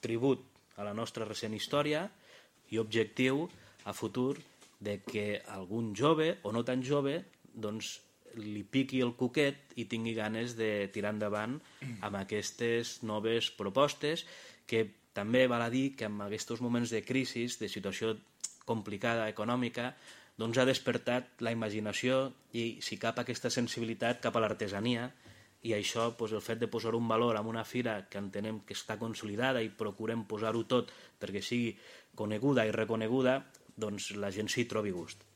tribut a la nostra recent història i objectiu a futur de que algun jove o no tan jove doncs li piqui el cuquet i tingui ganes de tirar endavant amb aquestes noves propostes, que també val a dir que en aquests moments de crisi, de situació complicada econòmica, doncs ha despertat la imaginació i, si cap, aquesta sensibilitat cap a l'artesania, i això, el fet de posar un valor en una fira que entenem que està consolidada i procurem posar-ho tot perquè sigui coneguda i reconeguda, doncs la gent s'hi trobi gust.